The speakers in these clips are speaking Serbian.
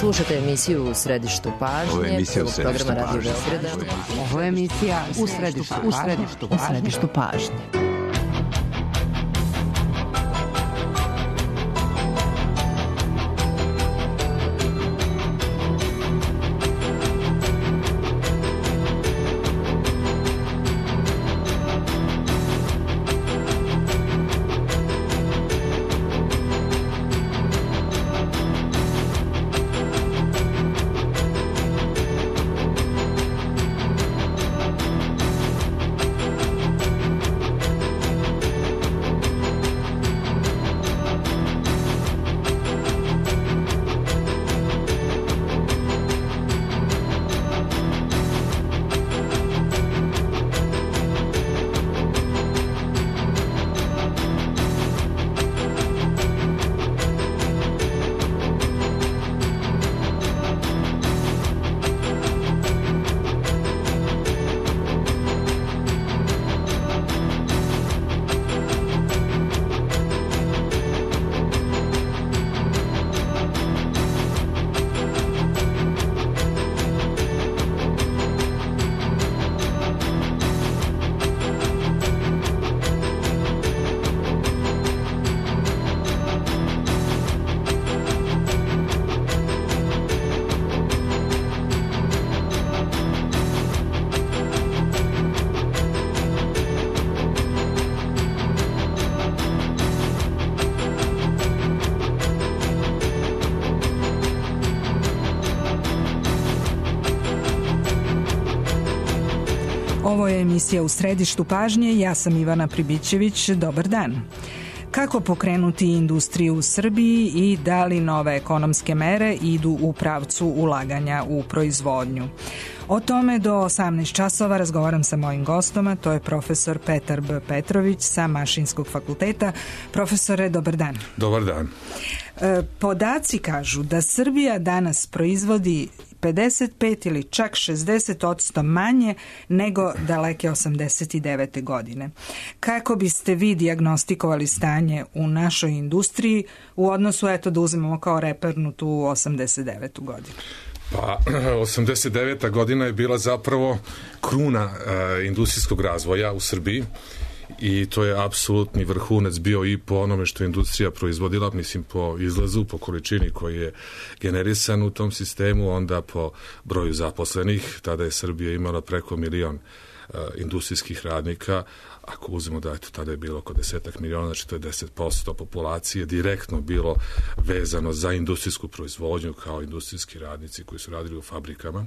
Slušate emisiju U središtu pažnje. Ovo je emisija U središtu pažnje. Ovo je emisija U središtu pažnje. Ovo je emisija U središtu pažnje, ja sam Ivana Pribićević, dobar dan. Kako pokrenuti industriju u Srbiji i da li nove ekonomske mere idu u pravcu ulaganja u proizvodnju? O tome do 18 časova razgovaram sa mojim gostom, a to je profesor Petar B. Petrović sa Mašinskog fakulteta. Profesore, dobar dan. Dobar dan. Podaci kažu da Srbija danas proizvodi 55 ili čak 60% manje nego daleke 89. godine. Kako biste vi dijagnostikovali stanje u našoj industriji u odnosu, eto da uzmemo kao repernu tu 89. godinu? Pa, 89. godina je bila zapravo kruna industrijskog razvoja u Srbiji i to je apsolutni vrhunac bio i po onome što je industrija proizvodila, mislim po izlazu, po količini koji je generisan u tom sistemu, onda po broju zaposlenih. Tada je Srbija imala preko 1 milion industrijskih radnika. Ako uzmemo da tada je bilo oko 10 miliona, znači to je 10% populacije direktno bilo vezano za industrijsku proizvodnju kao industrijski radnici koji su radili u fabrikama.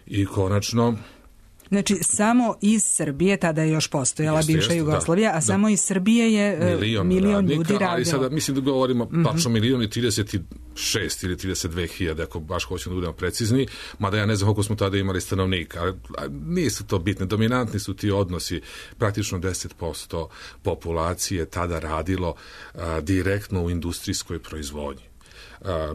I konačno... Znači, samo iz Srbije, tada je još postojala bivša Jugoslavija, a samo iz Srbije je milion ljudi radilo. Ali sada mislim da govorimo tačno 1.036.000 ili 32.000, ako baš hoćemo da budemo precizni, mada ja ne znam koliko smo tada imali stanovnika. Nisu to bitne, dominantni su ti odnosi. Praktično 10% populacije tada radilo direktno u industrijskoj proizvodnji.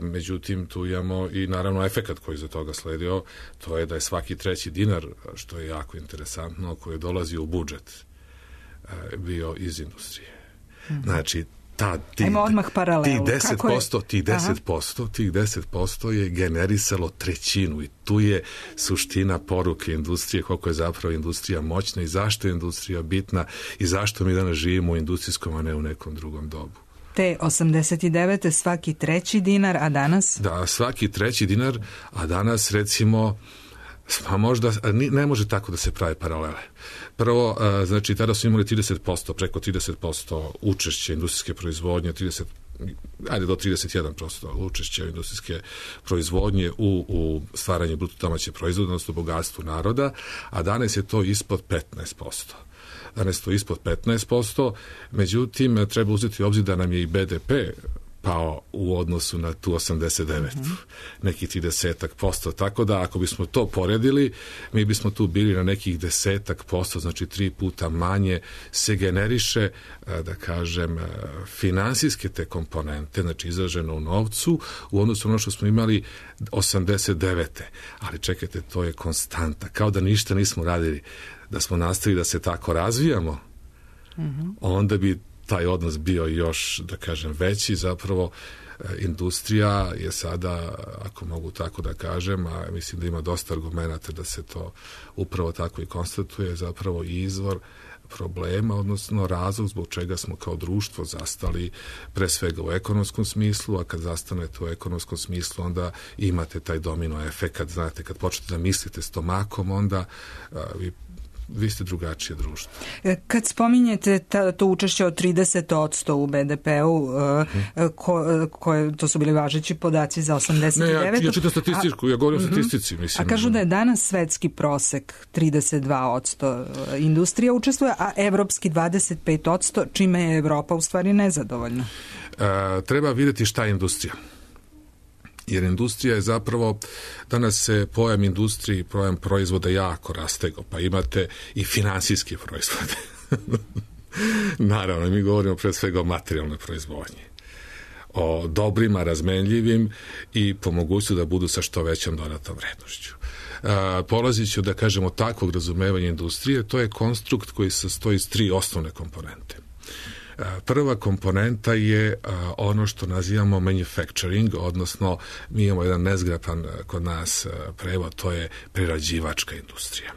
Međutim, tu imamo i naravno efekat koji za toga sledio, to je da je svaki treći dinar, što je jako interesantno, koji dolazi u budžet, bio iz industrije. Znači, tih 10% je generisalo trećinu i tu je suština poruke industrije, koliko je zapravo industrija moćna i zašto je industrija bitna i zašto mi danas živimo u industrijskom, a ne u nekom drugom dobu. Te 89. svaki treći dinar, a danas? Da, svaki treći dinar, a danas recimo, pa možda, ne može tako da se prave paralele. Prvo, znači, tada su imali 30%, preko 30% učešće industrijske proizvodnje, do 31% učešća industrijske proizvodnje u stvaranju bruto domaće proizvoda, odnosno bogatstvu naroda, a danas je to ispod 15%. Danas to ispod 15%, međutim, treba uzeti u obzir da nam je i BDP pao u odnosu na tu 89, nekih 30%, tako da ako bismo to poredili, mi bismo tu bili na nekih 10%, znači 3 puta manje se generiše, da kažem, finansijske te komponente, znači izraženo u novcu, u odnosu na ono što smo imali 89. Ali čekajte, to je konstanta, kao da ništa nismo radili. Da smo nastavili da se tako razvijamo, onda bi taj odnos bio još, da kažem, veći. Zapravo industrija je sada, ako mogu tako da kažem, a mislim da ima dosta argumenata da se to upravo tako i konstatuje, zapravo izvor problema, odnosno razlog zbog čega smo kao društvo zastali pre svega u ekonomskom smislu, a kad zastanete u ekonomskom smislu onda imate taj domino efekt, znate, kad počnete da mislite stomakom, onda vi ste drugačije društvo. Kad spominjete to učešće od 30% u BDP-u, to su bili važeći podaci za 89. Ne, ja čitam statistiku, ja govorim o statistici. Mislim, a kažu da je danas svetski prosek 32% industrija učestvuje, a evropski 25%, čime je Evropa u stvari nezadovoljna. Treba vidjeti šta je industrija. Jer industrija je zapravo, danas se pojam industrije i pojam proizvoda jako rastego, pa imate i finansijske proizvode. Naravno, mi govorimo pre svega o materijalnoj proizvodnji, o dobrima, razmenljivim i po mogućnosti da budu sa što većom dodatom vrednošću. Polazit ću da kažemo takvog razumevanja industrije, to je konstrukt koji se sastoji iz 3 osnovne komponente. Prva komponenta je ono što nazivamo manufacturing, odnosno mi imamo jedan nezgrapan kod nas prevod, to je prerađivačka industrija.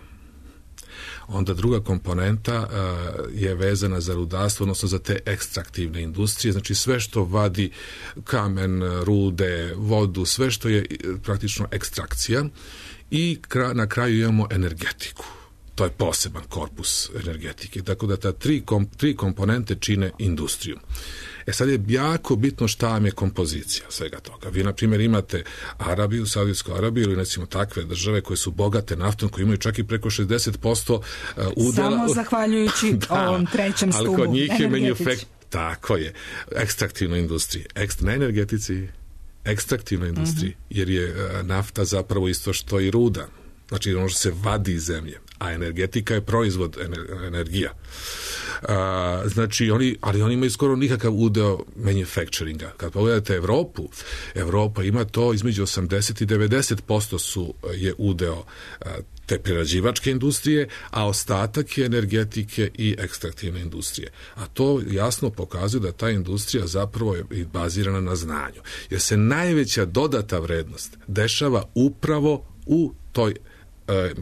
Onda druga komponenta je vezana za rudarstvo, odnosno za te ekstraktivne industrije, znači sve što vadi kamen, rude, vodu, sve što je praktično ekstrakcija i na kraju imamo energetiku. To je poseban korpus energetike. Tako da ta tri komponente čine industriju. Sad je jako bitno šta vam je kompozicija svega toga. Vi, na primjer, imate Arabiju, Saudijsku Arabiju ili recimo takve države koje su bogate naftom, koje imaju čak i preko 60% udela. Samo zahvaljujući ovom trećem stubu. Ali kod njih je tako je. Ekstraktivnoj industriji. Ne energetici, ekstraktivnoj industriji. Jer je nafta zapravo isto što i ruda. Znači ono što se vadi iz zemlje, a energetika je proizvod energija. Znači ali oni imaju skoro nikakav udeo manufacturinga. Kad pogledate Evropu, Evropa ima to između 80 i 90% je udeo te prerađivačke industrije, a ostatak je energetike i ekstraktivne industrije. A to jasno pokazuje da ta industrija zapravo je bazirana na znanju. Jer se najveća dodata vrednost dešava upravo u toj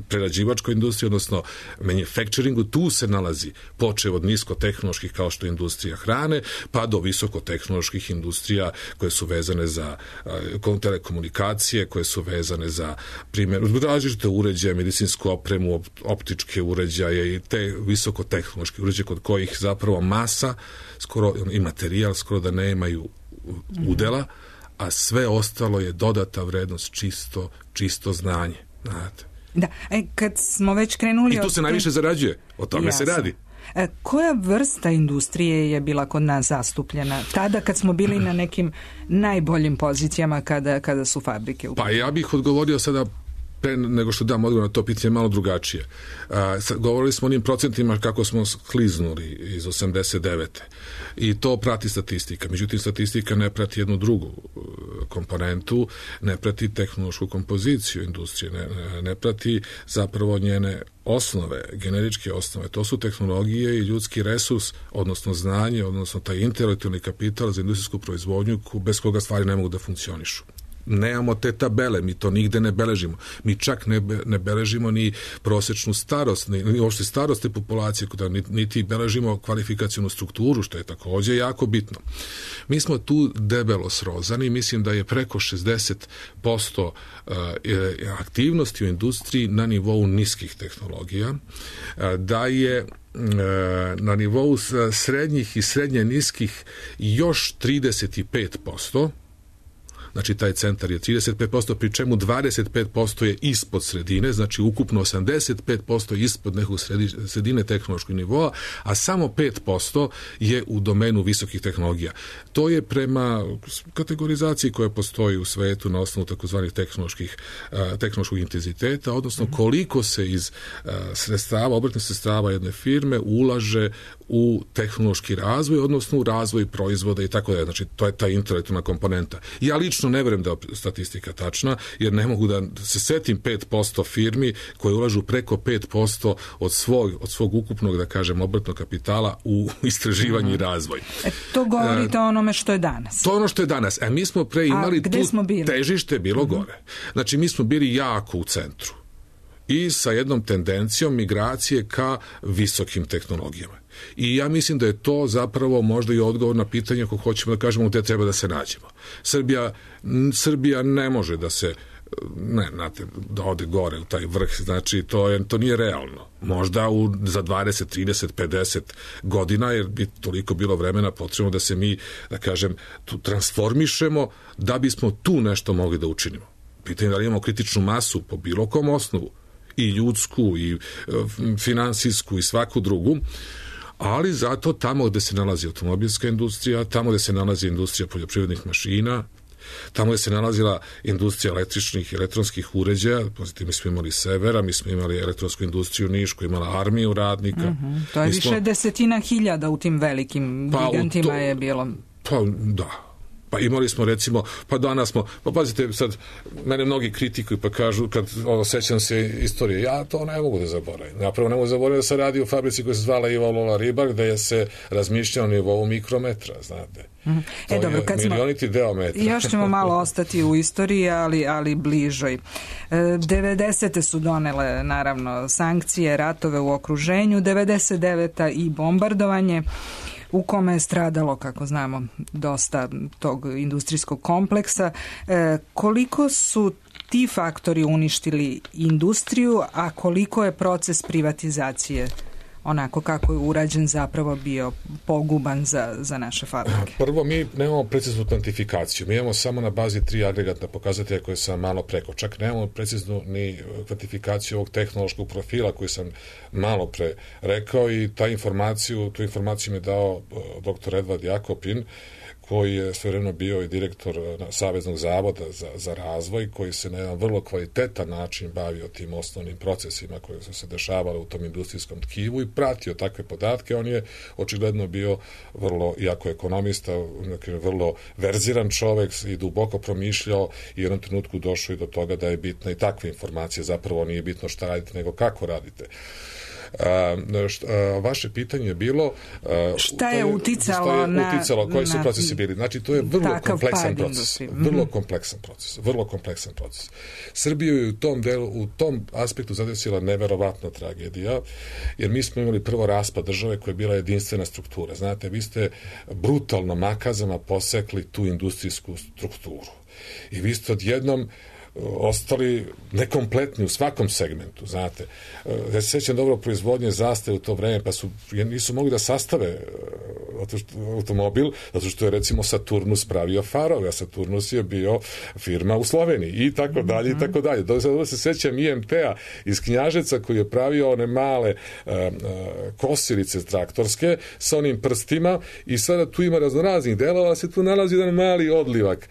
prerađivačkoj industriji, odnosno manufacturingu, tu se nalazi počev od niskotehnoloških kao što je industrija hrane, pa do visokotehnoloških industrija koje su vezane za telekomunikacije, koje su vezane za primjer, različite uređaje, medicinsku opremu, optičke uređaje i te visokotehnološke uređaje kod kojih zapravo masa skoro i materijal skoro da nemaju udela, a sve ostalo je dodata vrednost, čisto znanje. Znate. Da, kad smo već krenuli... I tu se najviše zarađuje, o tome se radi. Koja vrsta industrije je bila kod nas zastupljena tada kad smo bili na nekim najboljim pozicijama kada su fabrike u... Pa ja bih odgovorio sada pre nego što dam odgovor na to pitanje malo drugačije. Govorili smo o onim procentima kako smo skliznuli iz 89. I to prati statistika. Međutim, statistika ne prati jednu drugu komponentu, ne prati tehnološku kompoziciju industrije, ne prati zapravo njene osnove, generičke osnove. To su tehnologije i ljudski resurs, odnosno znanje, odnosno taj intelektualni kapital za industrijsku proizvodnju bez koga stvari ne mogu da funkcionišu. Nemamo te tabele, mi to nigde ne beležimo. Mi čak ne beležimo ni prosečnu starost, ni uopšte starost te populacije, niti beležimo kvalifikacionu strukturu, što je također jako bitno. Mi smo tu debelo srozani, mislim da je preko 60% aktivnosti u industriji na nivou niskih tehnologija, da je na nivou srednjih i srednje niskih još 35%, znači taj centar je 35%, pri čemu 25% je ispod sredine, znači ukupno 85% ispod nekog sredine tehnološkog nivoa, a samo 5% je u domenu visokih tehnologija. To je prema kategorizaciji koja postoji u svetu na osnovu takozvanih tehnološkog intenziteta, odnosno koliko se iz sredstava, obrtnih sredstava jedne firme ulaže u tehnološki razvoj, odnosno u razvoj proizvoda i tako da. Znači, to je ta intelektualna komponenta. Ja lično lično ne vjerujem da je statistika tačna, jer ne mogu da se setim 5% firmi koje ulažu preko 5% od svog ukupnog, da kažem, obrtnog kapitala u istraživanje i razvoj. To govorite o onome što je danas. To je ono što je danas. A mi smo pre imali tu težište bilo gore. Znači, mi smo bili jako u centru i sa jednom tendencijom migracije ka visokim tehnologijama. I ja mislim da je to zapravo možda i odgovor na pitanje ako hoćemo da kažemo gde treba da se nađemo. Srbija ne može da se da ode gore u taj vrh, znači to nije realno. Možda za 20, 30, 50 godina, jer bi toliko bilo vremena potrebno da se mi, da kažem, tu transformišemo da bismo tu nešto mogli da učinimo. Pitanje da li imamo kritičnu masu po bilo kom osnovu, i ljudsku, i finansijsku, i svaku drugu, ali zato tamo gde se nalazi automobilska industrija, tamo gde se nalazi industrija poljoprivrednih mašina, tamo gde se nalazila industrija električnih i elektronskih uređaja, mi smo imali Severa, mi smo imali elektronsku industriju Niš koja imala armiju radnika. To je više desetina hiljada u tim velikim gigantima je bilo. Pa da. Pa imali smo recimo, pa danas smo, pa pazite sad, mene mnogi kritikuju pa kažu, kad sećam se istorije, ja to ne mogu da zaboravim. Ja prvo ne mogu zaboraviti da se radi u fabrici koja se zvala Iva Lola Ribar, gde je se razmišljao na nivou mikrometra, znate. To dobro, je milioniti deo metra. Još ćemo malo ostati u istoriji, ali bližoj. 90. su donele, naravno, sankcije, ratove u okruženju, 99. i bombardovanje, u kome je stradalo, kako znamo, dosta tog industrijskog kompleksa. Koliko su ti faktori uništili industriju, a koliko je proces privatizacije, onako kako je urađen, zapravo bio poguban za naše fabrike? Prvo, mi nemamo preciznu kvantifikaciju. Mi imamo samo na bazi 3 agregatna pokazatelja koje sam malo preko. Čak nemamo preciznu ni kvantifikaciju ovog tehnološkog profila koji sam malo pre rekao i tu informaciju mi je dao dr. Edvard Jakopin, koji je svojevremeno bio i direktor Saveznog zavoda za razvoj, koji se na jedan vrlo kvalitetan način bavio tim osnovnim procesima koji su se dešavali u tom industrijskom tkivu i pratio takve podatke. On je očigledno bio vrlo, iako ekonomista, vrlo verziran čovek i duboko promišljao i u jednom trenutku došao i do toga da je bitna i takva informacija. Zapravo nije bitno šta radite, nego kako radite. Vaše pitanje je bilo šta je uticalo koji su procesi bili. Znači, to je vrlo kompleksan proces. Srbiju je u tom aspektu zadesila neverovatna tragedija, jer mi smo imali prvo raspad države koja je bila jedinstvena struktura. Znate, vi ste brutalno makazama posekli tu industrijsku strukturu i vi ste odjednom ostali nekompletni u svakom segmentu, znate. Ja se sjećam dobro proizvodnje Zastave u to vreme, pa nisu mogli da sastave automobil, zato što je recimo Saturnus pravio farove, a Saturnus je bio firma u Sloveniji i tako dalje i tako dalje. Dobro se sjećam IMT-a iz Knjaževca koji je pravio one male kosilice traktorske sa onim prstima i sada tu ima raznoraznih delova, se tu nalazi jedan mali odlivak.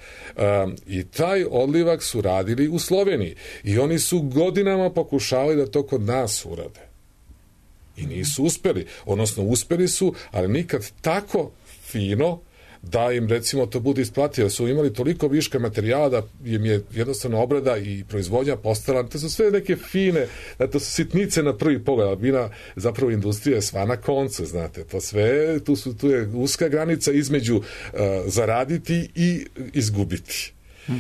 I taj odlivak su radili u Sloveniji i oni su godinama pokušavali da to kod nas urade i nisu uspeli, odnosno uspeli su, ali nikad tako fino da im recimo to bude isplativo. Su imali toliko viška materijala da im je jednostavno obrada i proizvodnja postala, to su sve neke fine, to su sitnice na prvi pogled, ali bina zapravo industrija je sva na koncu, znate, to sve, tu je uska granica između zaraditi i izgubiti.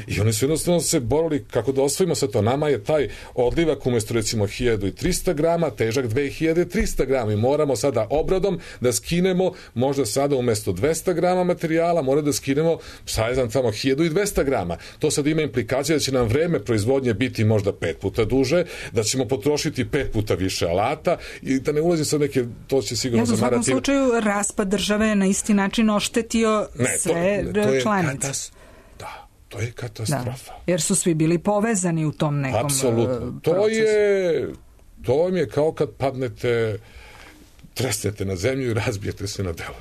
I oni su jednostavno se borili kako da osvojimo sve to. Nama je taj odlivak umjesto recimo 1300 grama težak 2300 grama i moramo sada obradom da skinemo možda sada umjesto 200 grama materijala mora da skinemo sajzam tamo 1200 grama. To sad ima implikacije da će nam vreme proizvodnje biti možda 5 puta duže, da ćemo potrošiti 5 puta više alata i da ne ulazim sa neke, to će sigurno zamarati. U svakom slučaju raspad države je na isti način oštetio sve članice. To je katastrofa. Da, jer su svi bili povezani u tom nekom apsolutno. procesu. To vam je kao kad padnete, tresnete na zemlju i razbijete se na delo.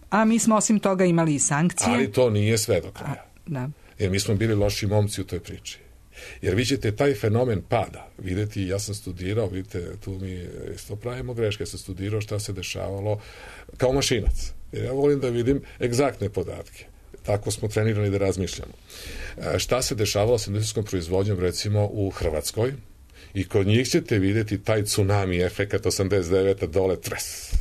A mi smo osim toga imali i sankcije. Ali to nije sve do kraja. Da. Jer mi smo bili loši momci u toj priči. Jer vi ćete taj fenomen pada vidjeti, ja sam studirao, vidite, tu mi isto pravimo greške, ja sam studirao šta se dešavalo kao mašinac. Jer ja volim da vidim egzaktne podatke. tako smo trenirani da razmišljamo. Šta se dešavalo sa industrijskom proizvodnjom recimo u Hrvatskoj? I kod njih ćete vidjeti taj tsunami efekat 89. dole tres.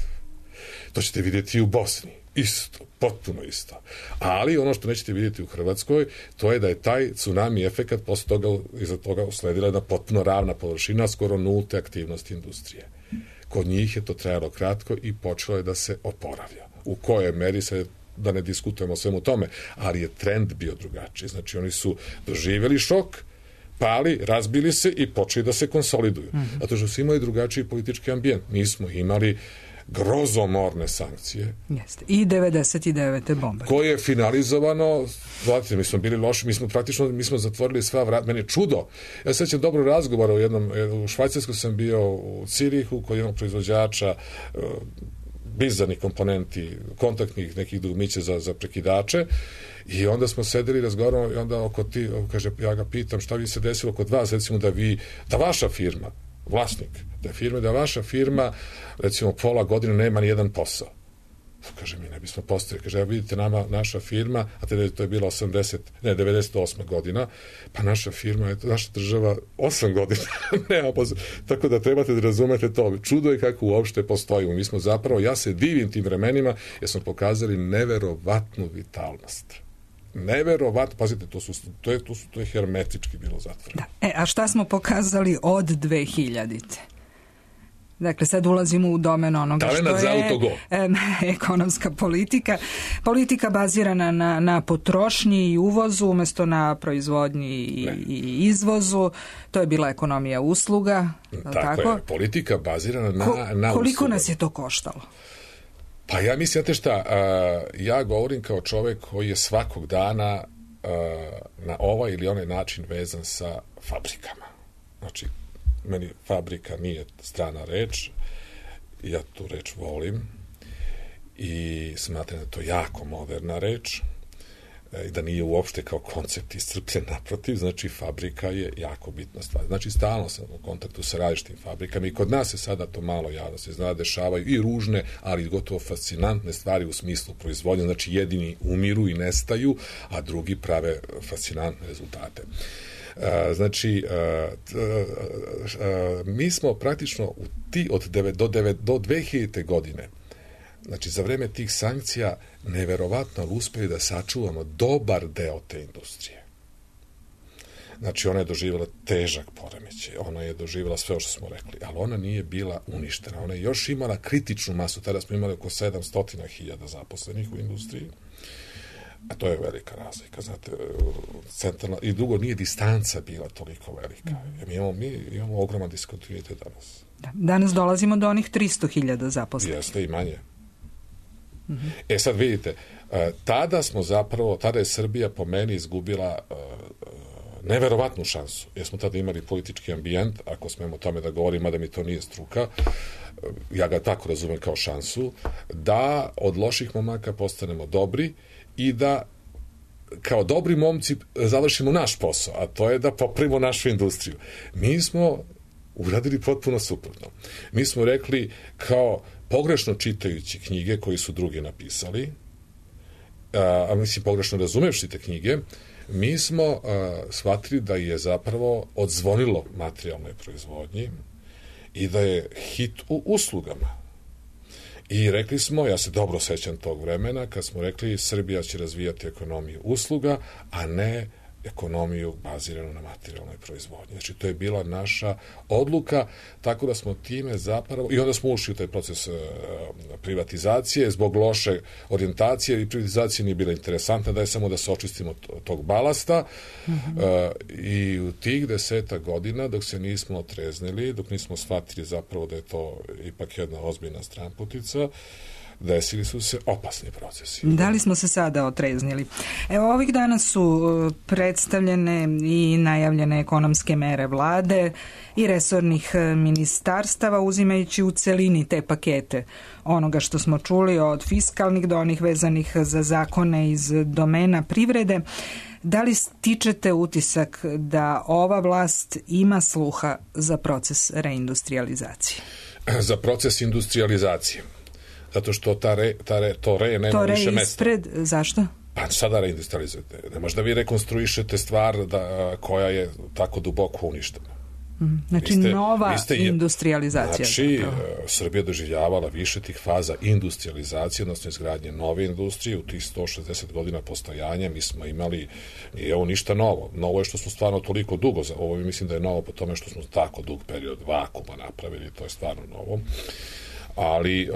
To ćete vidjeti i u Bosni. Isto, potpuno isto. Ali ono što nećete vidjeti u Hrvatskoj, to je da je taj tsunami efekat posle toga, iza toga usledila jedna potpuno ravna površina, skoro nulte aktivnosti industrije. Kod njih je to trajalo kratko i počelo je da se oporavlja. U kojoj meri se, da ne diskutujemo o svemu tome, ali je trend bio drugačiji. Znači oni su doživjeli šok, pali, razbili se i počeli da se konsoliduju. Zato što su imali drugačiji politički ambijent. Mi smo imali grozomorne sankcije. Jeste. I 99. bomba. Koje je finalizovano, znate, mi smo bili loši, mi smo zatvorili sva vrata. Meni je čudo. Ja sećam dobro razgovora u Švajcarskoj sam bio u Cirihu kod jednog proizvođača bizarnih komponenti, kontaktnih nekih dugmića za prekidače i onda smo sedeli i razgovaramo i onda kaže, ja ga pitam šta bi se desilo kod vas, recimo da vaša firma, vlasnik da vaša firma recimo pola godine nema ni jedan posao. Kaže, mi ne bismo postavili. Kaže, vidite, naša firma, a to je bila 98. godina, pa naša firma, naša država 8 godina nema posao. Tako da trebate da razumete to. Čudo je kako uopšte postojimo. Mi smo zapravo, ja se divim tim vremenima, jer smo pokazali neverovatnu vitalnost. Neverovatno, pazite, to je hermetički bilo zatvoreno. A šta smo pokazali od 2000-te? Dakle, sad ulazimo u domen onoga što je ekonomska politika. Politika bazirana na potrošnji i uvozu umjesto na proizvodnji i izvozu. To je bila ekonomija usluga. Tako je, politika bazirana na koliko usluga. Nas je to koštalo? Pa ja mislim, znate šta, ja govorim kao čovjek koji je svakog dana na ovaj ili onaj način vezan sa fabrikama. Znači, meni fabrika nije strana reč, ja tu reč volim i smatram da je to jako moderna reč i da nije uopšte kao koncept iscrpljen, naprotiv, znači fabrika je jako bitna stvar. Znači stalno sam u kontaktu sa različitim fabrikama i kod nas se sada to malo javno se zna, dešavaju i ružne, ali gotovo fascinantne stvari u smislu proizvodnje, znači jedini umiru i nestaju, a drugi prave fascinantne rezultate. Znači, mi smo praktično do 2000. godine, znači za vreme tih sankcija, neverovatno uspeli da sačuvamo dobar deo te industrije. Znači, ona je doživjela težak poremećaj, ona je doživjela sve što smo rekli, ali ona nije bila uništena. Ona je još imala kritičnu masu, tada smo imali oko 700.000 zaposlenih u industriji, a to je velika razlika, znate, centralna, i drugo, nije distanca bila toliko velika. Mi imamo ogroman diskontinuitet danas. Danas dolazimo do onih 300.000 zaposlenih. Jeste i manje. Sad vidite, tada je Srbija po meni izgubila neverovatnu šansu, jer smo tada imali politički ambijent, ako smemo o tome da govorim, mada mi to nije struka, ja ga tako razumem kao šansu, da od loših momaka postanemo dobri i da kao dobri momci završimo naš posao, a to je da popravimo našu industriju. Mi smo uradili potpuno suprotno. Mi smo rekli kao pogrešno čitajući knjige koji su drugi napisali, a mislim pogrešno razumevši te knjige, mi smo shvatili da je zapravo odzvonilo materijalnoj proizvodnji i da je hit u uslugama. I rekli smo, ja se dobro sećam tog vremena, kad smo rekli Srbija će razvijati ekonomiju usluga, a ne ekonomiju baziranu na materijalnoj proizvodnji. Znači, to je bila naša odluka, tako da smo time zapravo, i onda smo ušli u taj proces privatizacije, zbog loše orijentacije, i privatizacija nije bila interesantna, da je samo da se očistimo tog balasta, i u tih 10 godina, dok se nismo otreznili, dok nismo shvatili zapravo da je to ipak jedna ozbiljna stranputica, desili su se opasni procesi. Da li smo se sada otreznili? Evo, ovih dana su predstavljene i najavljene ekonomske mere vlade i resornih ministarstava, uzimajući u celini te pakete onoga što smo čuli, od fiskalnih do onih vezanih za zakone iz domena privrede. Da li stičete utisak da ova vlast ima sluha za proces reindustrializacije? Za proces industrializacije. Zato što to re nema više mesta. Zašto? Pa sada reindustrializujete. Ne možda vi rekonstruišete stvar koja je tako duboko uništena. Znači nova industrializacija. Znači, Srbija doživljavala više tih faza industrializacije, odnosno izgradnje nove industrije. U tih 160 godina postojanja mi smo imali, nije ovo ništa novo. Novo je što smo stvarno toliko dugo, ovo mislim da je novo po tome što smo tako dug period vakuma napravili, to je stvarno novo. Ali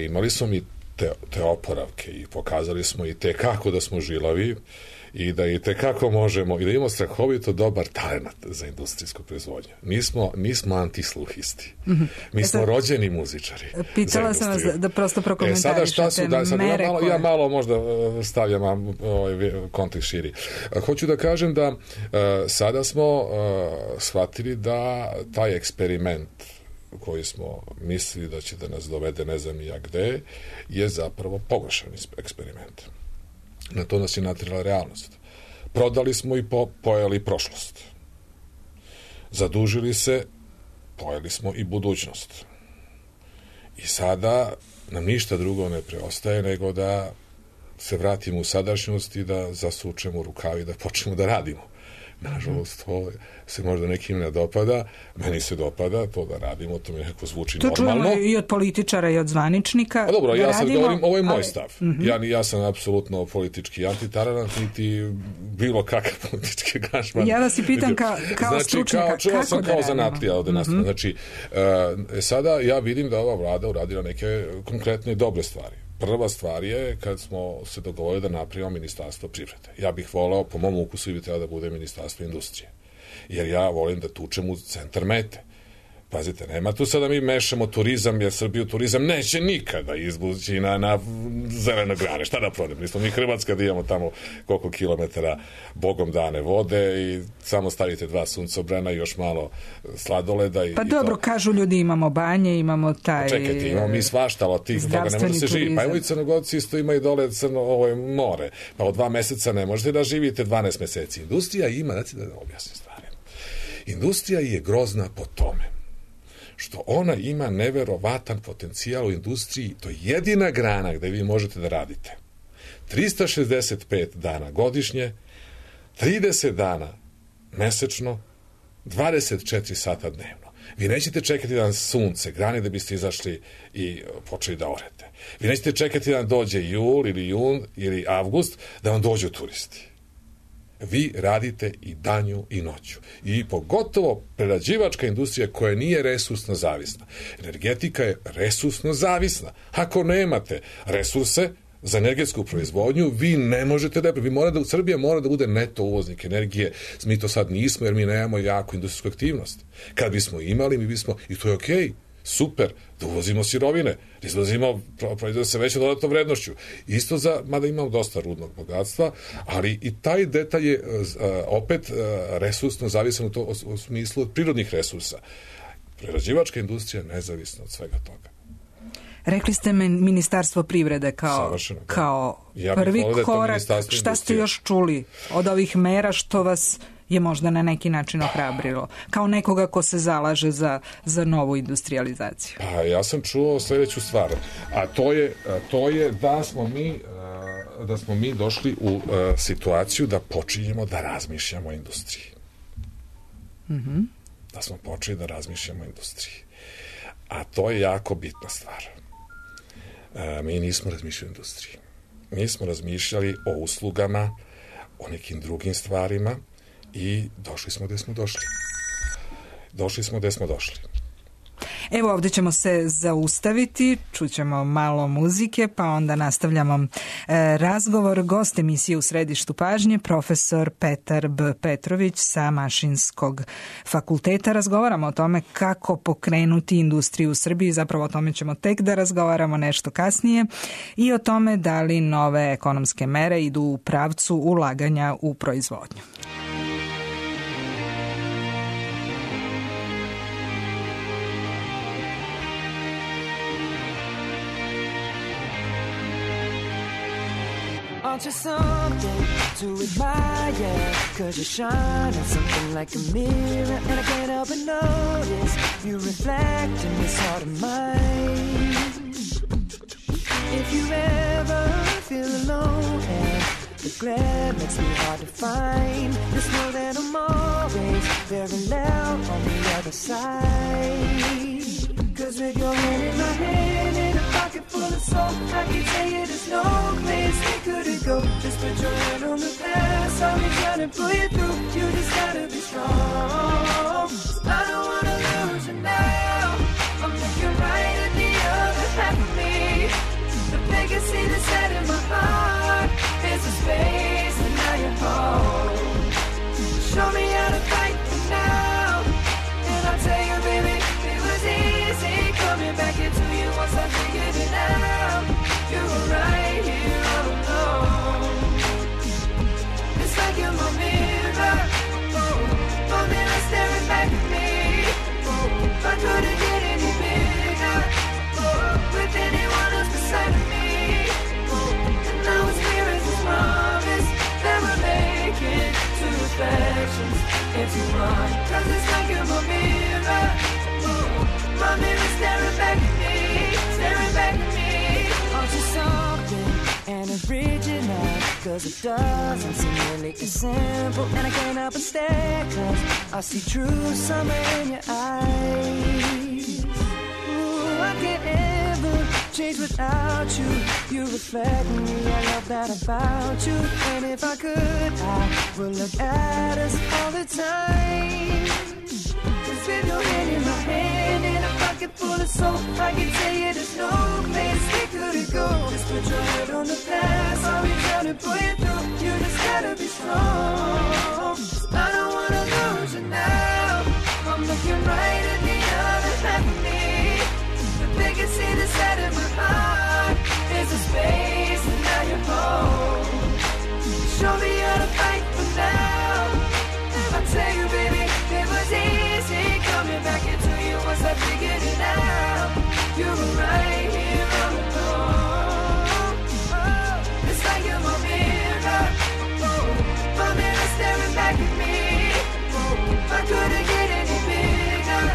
imali smo mi te oporavke i pokazali smo i te kako da smo žilavi i da i te kako možemo i da imamo strahovito dobar talent za industrijsku proizvodnju. Nismo antisluhisti. Mi smo rođeni muzičari. Pitala sam vas da prosto prokomentarišete mere koje... Ja malo možda stavljam kontekst širi. Hoću da kažem da sada smo shvatili da taj eksperiment koji smo mislili da će da nas dovede ne znam ja gde, je zapravo pogrešan eksperiment. Na to nas je natjerala realnost. Prodali smo i pojeli prošlost. Zadužili se, pojeli smo i budućnost. I sada nam ništa drugo ne preostaje nego da se vratimo u sadašnjost i da zasučemo rukavi i da počnemo da radimo. Nažalost, to se možda nekim ne dopada, meni se dopada to da radimo, to mi nekako zvuči to normalno. To čujemo i od političara i od zvaničnika. A dobro, ja sad govorim, ovo je moj stav. Ja sam apsolutno politički antitaranat, niti bilo kakav politički angažman. Ja vas i pitam kao stručnjaka, kako sam kao zanatlija ovde nastavno. Znači, sada ja vidim da ova vlada uradila neke konkretne dobre stvari. Prva stvar je kad smo se dogovorili da napravimo ministarstvo privrede. Ja bih voleo, po mom ukusu, i bi trebalo da bude ministarstvo industrije. Jer ja volim da tučem u centar mete. Pazite, nema tu sada mi mešamo turizam, jer Srbiju turizam neće nikada izbući na zeleno grane. Šta da prodem? Nismo mi Hrvatska da imamo tamo koliko kilometara bogom dane vode i samo stavite 2 suncobrana i još malo sladoleda. Pa dobro, kažu ljudi, imamo banje, imamo taj... Čekajte, imamo mi svašta, ali od tih toga ne može se živi. Pa evo i Crnogorci isto imaju dole more. Pa od 2 meseca ne možete da živite 12 meseci. Industrija ima, znači da objasnim stvari. Industrija je grozna po tome što ona ima neverovatan potencijal u industriji, to je jedina grana gde vi možete da radite 365 dana godišnje, 30 dana mesečno, 24 sata dnevno. Vi nećete čekati da sunce grani da biste izašli i počeli da orete. Vi nećete čekati da dođe jul ili jun ili avgust da vam dođu turisti. Vi radite i danju i noću. I pogotovo prerađivačka industrija koja nije resursno zavisna. Energetika je resursno zavisna. Ako nemate resurse za energetsku proizvodnju, vi ne možete da... Srbija mora da bude neto uvoznik energije. Mi to sad nismo jer mi nemamo jaku industrijsku aktivnost. Kad bismo imali, mi bismo... I to je okej. Super, da uvozimo sirovine, izvozimo, proizvode se veće dodatnom vrednošću. Isto mada imamo dosta rudnog bogatstva, ali i taj detalj je opet resursno zavisan u smislu od prirodnih resursa. Prerađivačka industrija je nezavisna od svega toga. Rekli ste Ministarstvo privrede kao prvi korak. Šta ste još čuli od ovih mera što vas je možda na neki način ohrabrilo, kao nekoga ko se zalaže za novu industrializaciju? Pa ja sam čuo sljedeću stvar, a to je da smo mi došli u situaciju da počinjemo da razmišljamo o industriji. Da smo počeli da razmišljamo o industriji. A to je jako bitna stvar. Mi nismo razmišljali o industriji. Mi smo razmišljali o uslugama, o nekim drugim stvarima, i došli smo gde smo došli. Evo, ovdje ćemo se zaustaviti, čućemo malo muzike, pa onda nastavljamo razgovor. Gost emisije U središtu pažnje, profesor Petar B. Petrović sa Mašinskog fakulteta. Razgovaramo o tome kako pokrenuti industriju u Srbiji, zapravo o tome ćemo tek da razgovaramo nešto kasnije, i o tome da li nove ekonomske mere idu u pravcu ulaganja u proizvodnju. Aren't you something to admire? 'Cause you shine on something like a mirror, and I can't help but notice you reflect in this heart of mine. If you ever feel alone and the glare makes me hard to find. Just know that I'm always very loud on the other side. Cause with your hand in my hand and a pocket full of soul, I can tell you there's no place we couldn't go. Just put your hand on the past, I'll be trying to pull you through. You just gotta be strong. I don't wanna lose you now. I'm looking right at the other half of me. The vacancy that's set in my heart is a space and now you're home. Show me how to fight for now. And I'll tell you, baby, it was easy coming back into you once I figured it out. You were right here all alone. It's like you're my mirror. My mirror staring back at me. I couldn't get any bigger with anyone else beside of me. And now it's clear as this promise that we're making two reflections into one. Cause it's like you're my mirror. My mirror staring back at me, staring back at me. Aren't you something and original? Cause it doesn't seem really as simple. And I can't help but stare cause I see true summer in your eyes. Ooh, I can't ever change without you. You reflect me, I love that about you. And if I could, I would look at us all the time. Cause with your hand in my hand and a pocket full of soul, I can tell you there's no place we couldn't go. Just put your head on the past, I'll be trying to pull you through. You just gotta be strong. I don't wanna lose you now. I'm looking right at the other half of me. The vacancy that's set in my heart is a space and now you're home. Show me how to fight for now. I'll tell you, baby, it was easy coming back into you once I figured it out. You were right here all alone. Oh, it's like you're my mirror. My mirror staring back at me. I couldn't get any bigger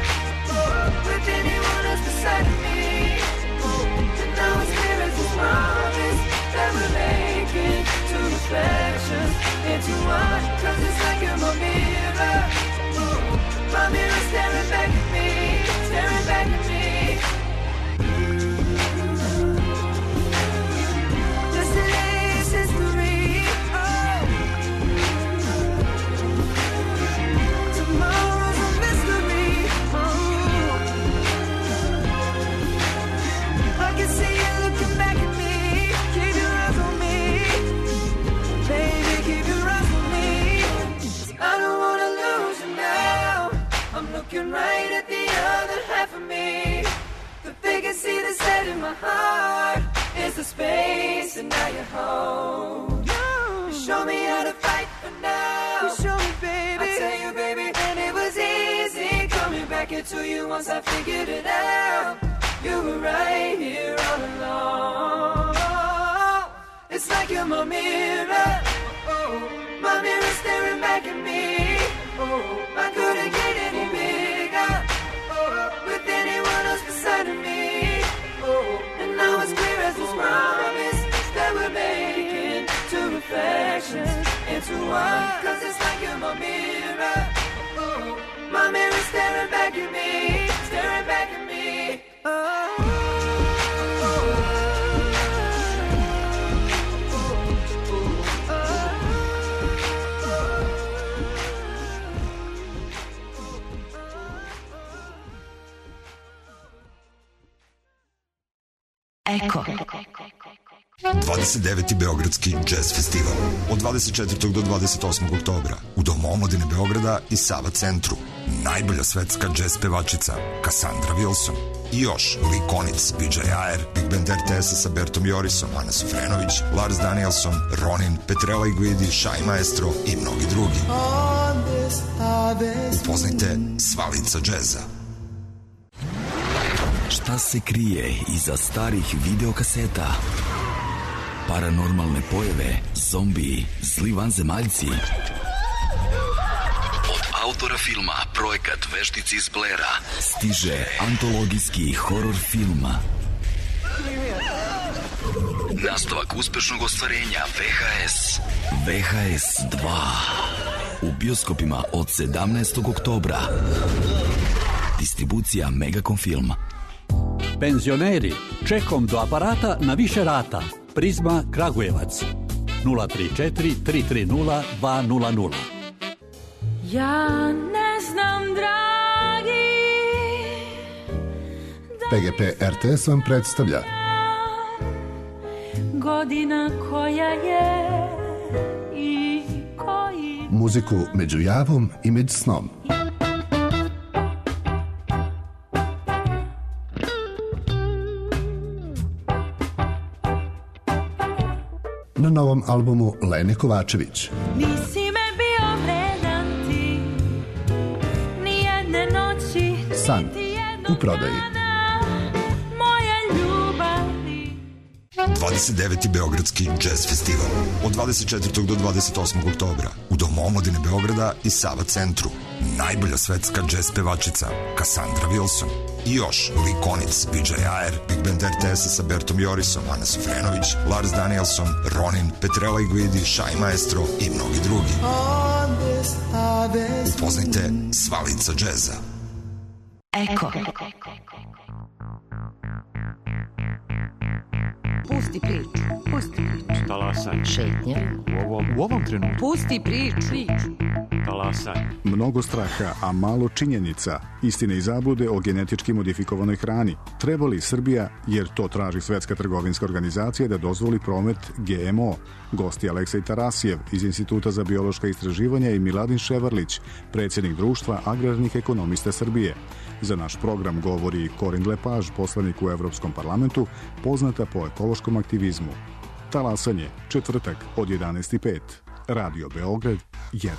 with anyone else beside of me. And now it's clear as this promise that we're making two reflections into one. Cause it's like you're my mirror. My mirror staring back at me, staring back at me. Yesterday's history. Oh. Tomorrow's a mystery. Oh. I can see you looking back at me. Keep your eyes on me. Baby, keep your eyes on me. I don't wanna lose you now. I'm looking right at the other half of me. The vacancy that's set in my heart is the space and now you're home. You show me how to fight for now. You show me, baby. I tell you, baby, and it was easy coming back into you once I figured it out. You were right here all along. It's like you're my mirror. My mirror staring back at me. I couldn't get any bigger with anyone else beside of me. And now it's clear as this promise that we're making two reflections into one. Cause it's like you're my mirror. My mirror staring back at me, staring back at me. Eko. 29. Beogradski jazz festival od 24. do 28. oktobra u Domu omladine Beograda i Sava centru. Najbolja svetska jazz pevačica Cassandra Wilson i još Lee Konitz, PJ Ayer, Big Band RTS-a sa Bertom Jorisom, Ana Sufrenović, Lars Danielson, Ronin, Petrella Iguidi, Shai Maestro i mnogi drugi. Upoznajte sva lica džeza. Šta se krije iza starih videokaseta? Paranormalne pojave, zombiji, zli vanzemaljci. Od autora filma Projekat Veštice iz Blera stiže antologijski horor film Nastavak uspešnog ostvarenja VHS. VHS 2. U bioskopima od 17. oktobra. Distribucija Megacom Film. Penzioneri, čekom do aparata na više rata. Prizma Kragujevac. 034 330 200. Ja ne znam, dragi, PGP RTS vam predstavlja godina koja je i koji muziku među javom i među snom. Na novom albumu Lene Kovačević. nisi me bio vredan ti, nijedne noći, San niti jednog u prodaji. dana moje ljubavi. 29. Beogradski jazz festival od 24. do 28. oktobra u Domu omladine Beograda i Sava centru. Najbolja svetska jazz pevačica Cassandra Wilson i još Lee Konitz, PJ Ayer, Big Band RTS sa Bertom Jorisom, Ana Sofrenović, Lars Danielson, Ronin, Petrella Iguidi, Shai Maestro i mnogi drugi. Upoznajte sva lica džeza. Eko. Pusti priču. Pusti priču. Talasaj. Šetnja. U ovom trenutku. Pusti priču. Talasaj. Mnogo straha, a malo činjenica. Istine i zablude o genetički modifikovanoj hrani. Treba li Srbija, jer to traži Svetska trgovinska organizacija, da dozvoli promet GMO? Gosti Aleksej Tarasijev iz Instituta za biološka istraživanja i Miladin Ševarlić, predsjednik Društva agrarnih ekonomista Srbije. Za naš program govori Corinne Lepage, poslanik u Evropskom parlamentu, poznata po ekološkom aktivizmu. Talasanje, četvrtak od 11:05. Radio Beograd 1.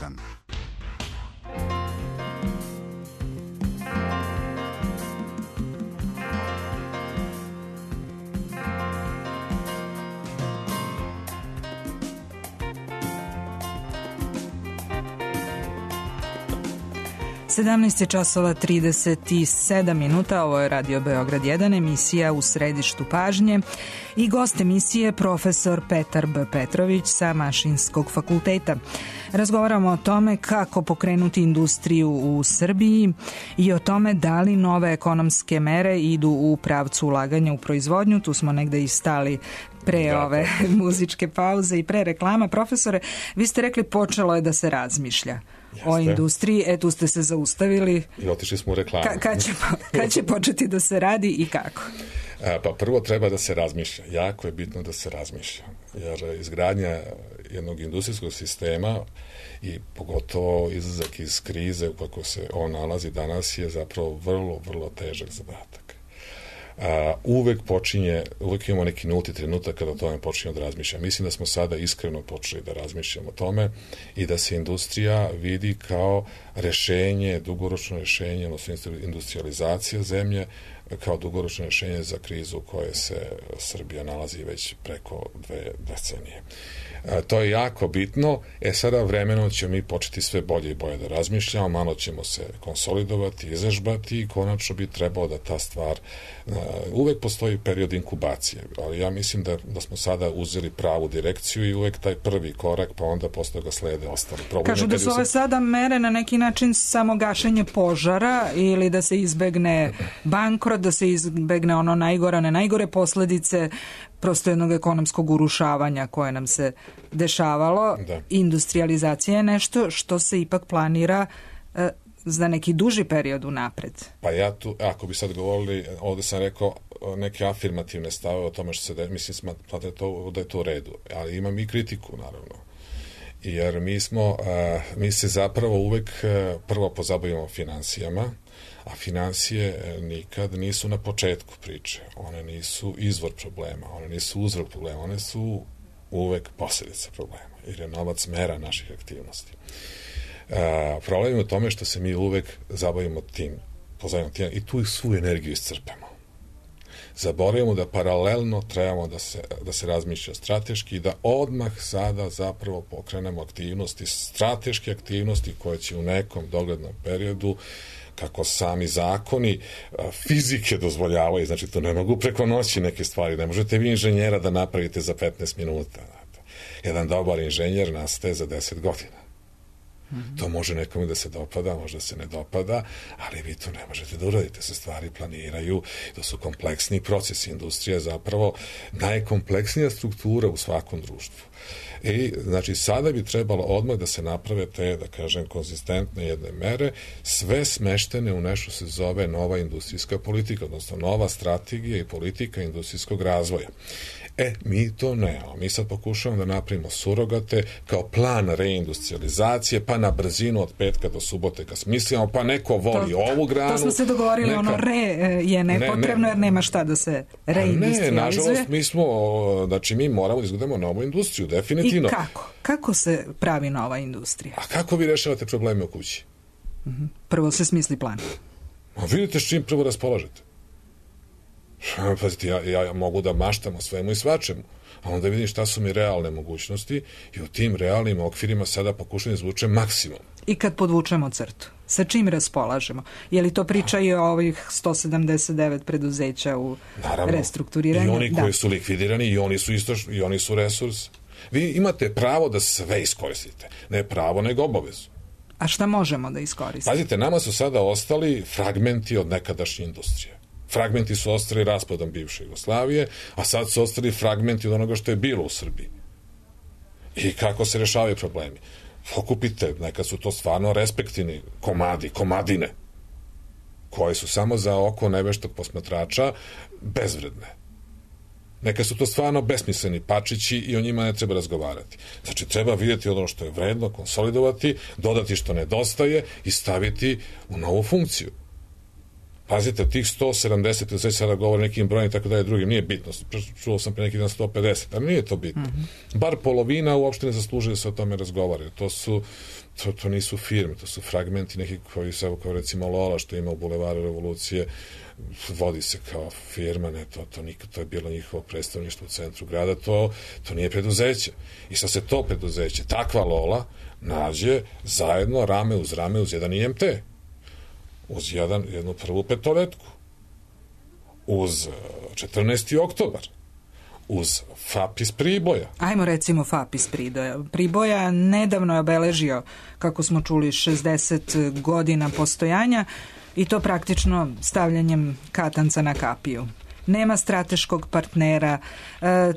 Sedamnaest je časova 37 minuta, ovo je Radio Beograd 1, emisija U središtu pažnje i gost emisije profesor Petar B. Petrović sa Mašinskog fakulteta. Razgovaramo o tome kako pokrenuti industriju u Srbiji i o tome da li nove ekonomske mere idu u pravcu ulaganja u proizvodnju. Tu smo negde i stali pre ove muzičke pauze i pre reklama. Profesore, vi ste rekli počelo je da se razmišlja o industriji, tu ste se zaustavili. I otišli smo u reklamu. Kad će početi da se radi i kako? Pa prvo treba da se razmišlja. Jako je bitno da se razmišlja. Jer izgradnja jednog industrijskog sistema i pogotovo izlazak iz krize u kako se on nalazi danas je zapravo vrlo, vrlo težak zadatak. Uvek imamo neki nulti trenutak kada o tome počinjemo da razmišljamo. Mislim da smo sada iskreno počeli da razmišljamo o tome i da se industrija vidi kao rešenje, dugoročno rešenje, odnosno industrializacija zemlje, kao dugoročno rešenje za krizu u kojoj se Srbija nalazi već preko 2 decenije. To je jako bitno. Sada vremenom ćemo mi početi sve bolje i bolje da razmišljamo, malo ćemo se konsolidovati, izažbati i konačno bi trebalo da ta stvar, uvek postoji period inkubacije, ali ja mislim da smo sada uzeli pravu direkciju i uvek taj prvi korak, pa onda posle ga slede ostali problemi. Kažu da su ove sada mere na neki način samo gašenje požara ili da se izbegne bankrot, da se izbegne ono najgore, ne najgore posledice prosto jednog ekonomskog urušavanja koje nam se dešavalo. Da. Industrializacija je nešto što se ipak planira za neki duži period unapred. Pa ja tu, ako bi sad govorili, ovde sam rekao neke afirmativne stave o tome što se mislim da je to u redu, ali imam i kritiku naravno. Jer mi se zapravo uvek prvo pozabavimo finansijama, a financije nikad nisu na početku priče. One nisu izvor problema, one nisu uzrok problema, one su uvek posljedica problema, jer je novac mera naših aktivnosti. Problem je u tome što se mi uvek zabavimo tim i tu svu energiju iscrpemo. Zaboravimo da paralelno trebamo da se razmišlja strateški i da odmah sada zapravo pokrenemo aktivnosti, strateške aktivnosti koje će u nekom doglednom periodu kako sami zakoni fizike dozvoljavaju, znači to ne mogu preko noći neke stvari, ne možete vi inženjera da napravite za 15 minuta. Jedan dobar inženjer nastaje za 10 godina. To može nekome da se dopada, možda se ne dopada, ali vi to ne možete da uradite. Se stvari planiraju, to su kompleksni procesi. Industrija je zapravo najkompleksnija struktura u svakom društvu. I, znači, sada bi trebalo odmah da se naprave te, da kažem, konzistentne jedne mere, sve smeštene u nešto se zove nova industrijska politika, odnosno nova strategija i politika industrijskog razvoja. Mi to nemamo. Mi sad pokušavamo da napravimo surogate kao plan reindustrializacije, pa na brzinu od petka do subote ga smislimo, pa neko voli ovu granu. To smo se dogovorili, ono je nepotrebno jer nema šta da se reindustrializuje. Ne, nažalost, mi moramo da izgledamo novu industriju, definitivno. I kako? Kako se pravi nova industrija? A kako vi rešavate probleme u kući? Prvo se smisli plan. Vidite s čim prvo raspolažete. Pazite, ja mogu da maštam o svemu i svačemu, a onda vidim šta su mi realne mogućnosti i u tim realnim okvirima sada pokušam da izvučem maksimum. I kad podvučemo crtu, sa čim raspolažemo? Je li to priča i o ovih 179 preduzeća u restrukturiranju? I oni koji su likvidirani, i oni su resurs. Vi imate pravo da sve iskoristite. Ne pravo, nego obavezu. A šta možemo da iskoristimo? Pazite, nama su sada ostali fragmenti od nekadašnje industrije. Fragmenti su ostali raspadom bivše Jugoslavije, a sad su ostali fragmenti od onoga što je bilo u Srbiji. I kako se rešavaju problemi? Pokupite, nekad su to stvarno respektivni komadine, koje su samo za oko neveštog posmatrača bezvredne. Neka su to stvarno besmisleni pačići i o njima ne treba razgovarati. Znači, treba vidjeti ono što je vredno, konsolidovati, dodati što nedostaje i staviti u novu funkciju. Pazite, tih 170, sve sada govore nekim brojem i tako dalje, drugim, nije bitno. Čuo sam pre neki dan 150, ali nije to bitno. Bar polovina uopšte ne zaslužuje da se o tome razgovaraju. To nisu firme, to su fragmenti neki koji se, kao recimo Lola, što ima u Bulevaru Revolucije, vodi se kao firma, ne, to je bilo njihovo predstavništvo u centru grada, to nije preduzeće. I sad se to preduzeće, takva Lola, nađe zajedno rame uz jedan IMT. Uz jednu prvu petoletku, uz 14. oktobar, uz FAP iz Priboja. Ajmo recimo FAP iz Priboja nedavno je obeležio, kako smo čuli, 60 godina postojanja i to praktično stavljanjem katanca na kapiju. Nema strateškog partnera,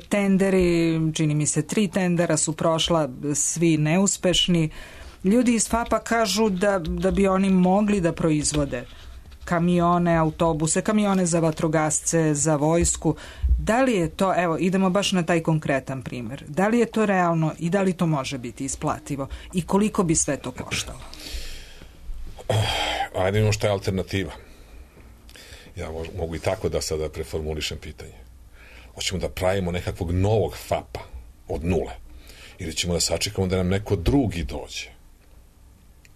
tenderi, čini mi se 3 tendera su prošla, svi neuspešni. Ljudi iz FAP-a kažu da bi oni mogli da proizvode kamione, autobuse, kamione za vatrogasce, za vojsku. Da li je to, evo, idemo baš na taj konkretan primjer, da li je to realno i da li to može biti isplativo i koliko bi sve to koštalo? Ajde, imamo šta je alternativa. Ja mogu i tako da sada preformulišem pitanje. Hoćemo da pravimo nekakvog novog FAP-a od nule ili ćemo da sačekamo da nam neko drugi dođe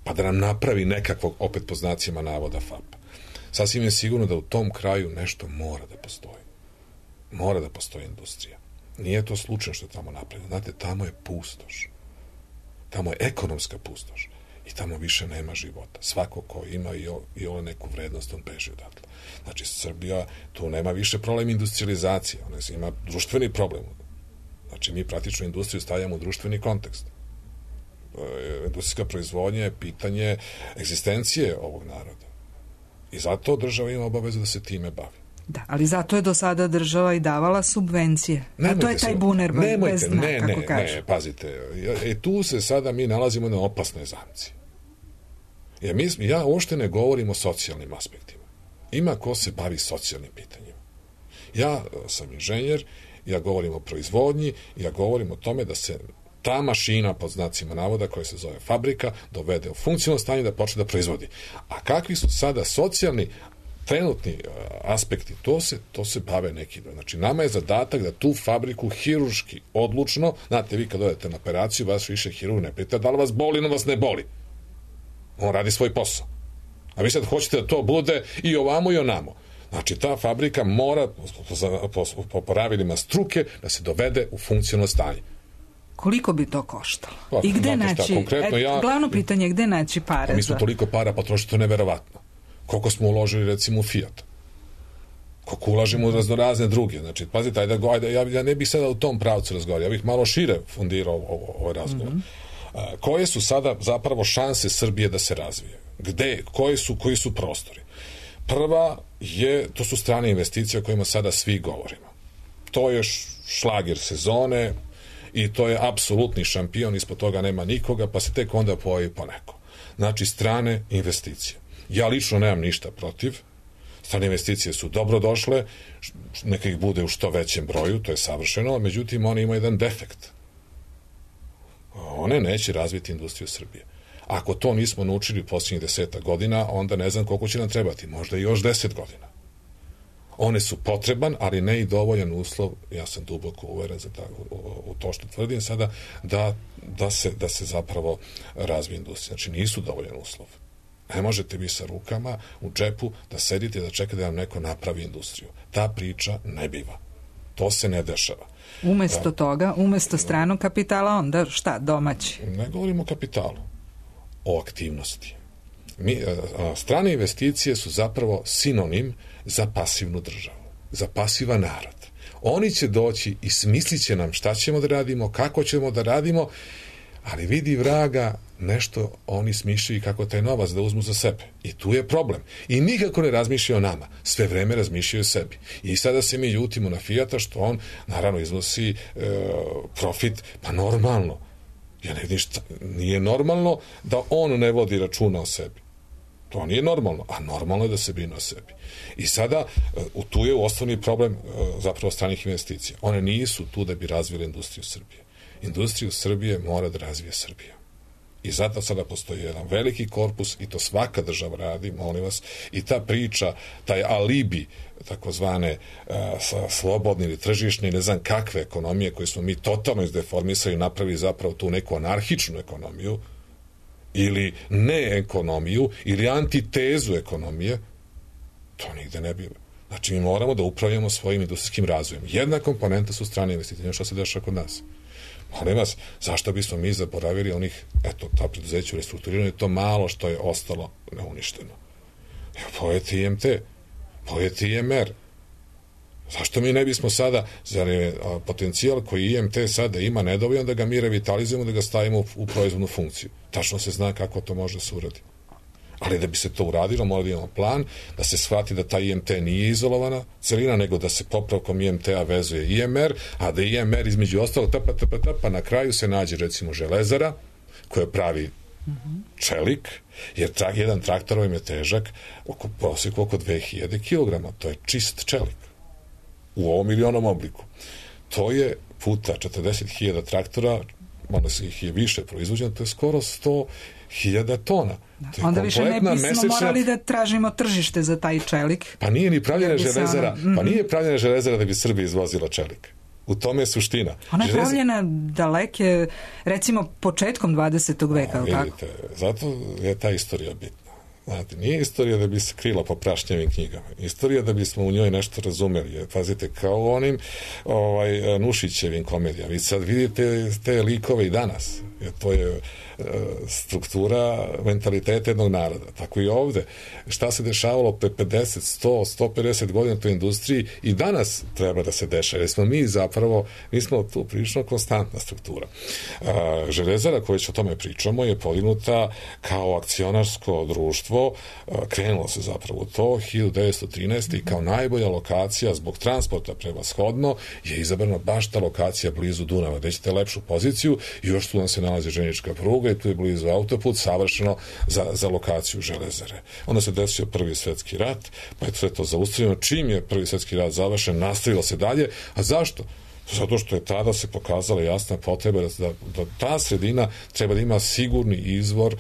pa da nam napravi nekakvog, opet po znacima navoda, FAP. Sasvim je sigurno da u tom kraju nešto mora da postoji. Mora da postoji industrija. Nije to slučajno što je tamo napravljeno. Znate, tamo je pustoš. Tamo je ekonomska pustoš. I tamo više nema života. Svako ko ima i ovo neku vrednost, on beži odatle. Znači, Srbija, tu nema više problem industrializacije. Ona ima društveni problem. Znači, mi praktično industriju stavljamo u društveni kontekst. Industrijska proizvodnja je pitanje egzistencije ovog naroda. I zato država ima obavezu da se time bavi. Da, ali zato je do sada država i davala subvencije. A to je taj buner bez dna, kako kažu. Ne, pazite. Tu se sada mi nalazimo na opasnoj zamci. Ja uopšte ne govorim o socijalnim aspektima. Ima ko se bavi socijalnim pitanjima. Ja sam inženjer, ja govorim o proizvodnji, ja govorim o tome da se ta mašina, pod znacima navoda, koja se zove fabrika, dovede u funkcionalno stanje da počne da proizvodi. A kakvi su sada socijalni trenutni aspekti, to se bave neki. Znači, nama je zadatak da tu fabriku hirurški, odlučno, znate, vi kad odete na operaciju, vas više hirurg ne pita da li vas boli, no vas ne boli. On radi svoj posao. A vi sad hoćete da to bude i ovamo i onamo. Znači, ta fabrika mora, po pravilima struke, da se dovede u funkcionalno stanje. Koliko bi to koštalo? I gde naći, glavno pitanje je gde naći pare? Mi smo toliko para potrošili, to je neverovatno. Koliko smo uložili recimo u Fiat? Koliko ulažimo u raznorazne druge? Znači, pazite, ja ne bih sada u tom pravcu razgovarao, ja bih malo šire fundirao ovaj razgovor. Koje su sada zapravo šanse Srbije da se razvije? Gde? Koji su prostori? Prva to su strane investicije o kojima sada svi govorimo. To je šlager sezone i to je apsolutni šampion, ispod toga nema nikoga, pa se tek onda pojavi poneko. Znači, strane investicije. Ja lično nemam ništa protiv. Strane investicije su dobro došle, neka ih bude u što većem broju, to je savršeno, međutim, one imaju jedan defekt. One neće razviti industriju Srbije. Ako to nismo naučili posljednjih 10 godina, onda ne znam koliko će nam trebati, možda i još 10 godina. One su potreban, ali ne i dovoljan uslov, ja sam duboko uveren u to što tvrdim sada, da se zapravo razvije industrija. Znači, nisu dovoljan uslov. Ne možete vi sa rukama u džepu da sedite i da čekate da vam neko napravi industriju. Ta priča ne biva. To se ne dešava. Umesto toga, umesto stranog kapitala, onda šta, domaći? Ne govorimo o kapitalu, o aktivnosti. Strane investicije su zapravo sinonim za pasivnu državu, za pasivan narod. Oni će doći i smislit će nam šta ćemo da radimo, kako ćemo da radimo, ali vidi vraga, nešto oni smišljaju kako taj novac da uzmu za sebe. I tu je problem. I nikako ne razmišljaju o nama. Sve vreme razmišljaju o sebi. I sada se mi ljutimo na Fijata što on, naravno, iznosi profit, pa normalno. Ja ne vidim šta, nije normalno da on ne vodi računa o sebi. To nije normalno, a normalno je da se brine o sebi. I sada, tu je osnovni problem zapravo stranih investicija. One nisu tu da bi razvile industriju Srbije. Industriju Srbije mora da razvije Srbija. I zato sada postoji jedan veliki korpus i to svaka država radi, molim vas, i ta priča, taj alibi takozvane slobodne ili tržišne, ne znam kakve ekonomije koje smo mi totalno izdeformisali i napravili zapravo tu neku anarhičnu ekonomiju ili ne ekonomiju ili antitezu ekonomije, to nigde ne biva. Znači, mi moramo da upravljamo svojim industrijskim razvojem. Jedna komponenta su strane investicije. Što se dešava kod nas? Molim vas, zašto bismo mi zaboravili onih, ta preduzeća u restrukturiranju, to malo što je ostalo neuništeno. Pojete IMT, pojete IMR. Zašto mi ne bismo sada, zar je potencijal koji IMT sada ima nedovoljan da ga mi revitalizujemo, da ga stavimo u proizvodnu funkciju? Tačno se zna kako to može se uraditi. Ali da bi se to uradilo, mora da imamo plan, da se shvati da ta IMT nije izolovana celina, nego da se popravkom IMT-a vezuje IMR, a da IMR između ostalo pa na kraju se nađe recimo železara koja pravi čelik, jer jedan traktor im je težak prosjeku oko 2000 kg. To je čist čelik u ovom ili onom obliku. To je puta 40.000 traktora, onda se ih je više proizvođeno, to je skoro 100.000 tona. Onda više ne bismo morali da tražimo tržište za taj čelik. Pa nije ni pravljena železara, pa nije pravljena železara da bi Srbija izvozila čelik. U tome je suština. Ona je pravljena daleke, recimo, početkom 20. veka, ili tako? Vidite, zato je ta istorija bitna. Znate, nije istorija da bi se krila po prašnjavim knjigama. Istorija da bismo u njoj nešto razumeli. Pazite, kao u onim Nušićevim komedijama. Vi sad vidite te likove i danas. To je struktura mentaliteta jednog naroda. Tako i ovde. Šta se dešavalo pre 50, 100, 150 godina u toj industriji i danas treba da se dešava. Jer smo mi smo tu prilično konstantna struktura. Železara, koju o tome pričamo, je podignuta kao akcionarsko društvo. Krenulo se zapravo to 1913. i kao najbolja lokacija zbog transporta prevashodno je izabrana baš ta lokacija blizu Dunava, gde ćete lepšu poziciju i još tu nam se nalazi željeznička pruga i tu je blizu autoput, savršeno za lokaciju železare. Onda se desio Prvi svjetski rat, pa je sve to zaustavljeno. Čim je Prvi svjetski rat završen, nastavilo se dalje. A zašto? Zato što je tada se pokazala jasna potreba da ta sredina treba da ima sigurni izvor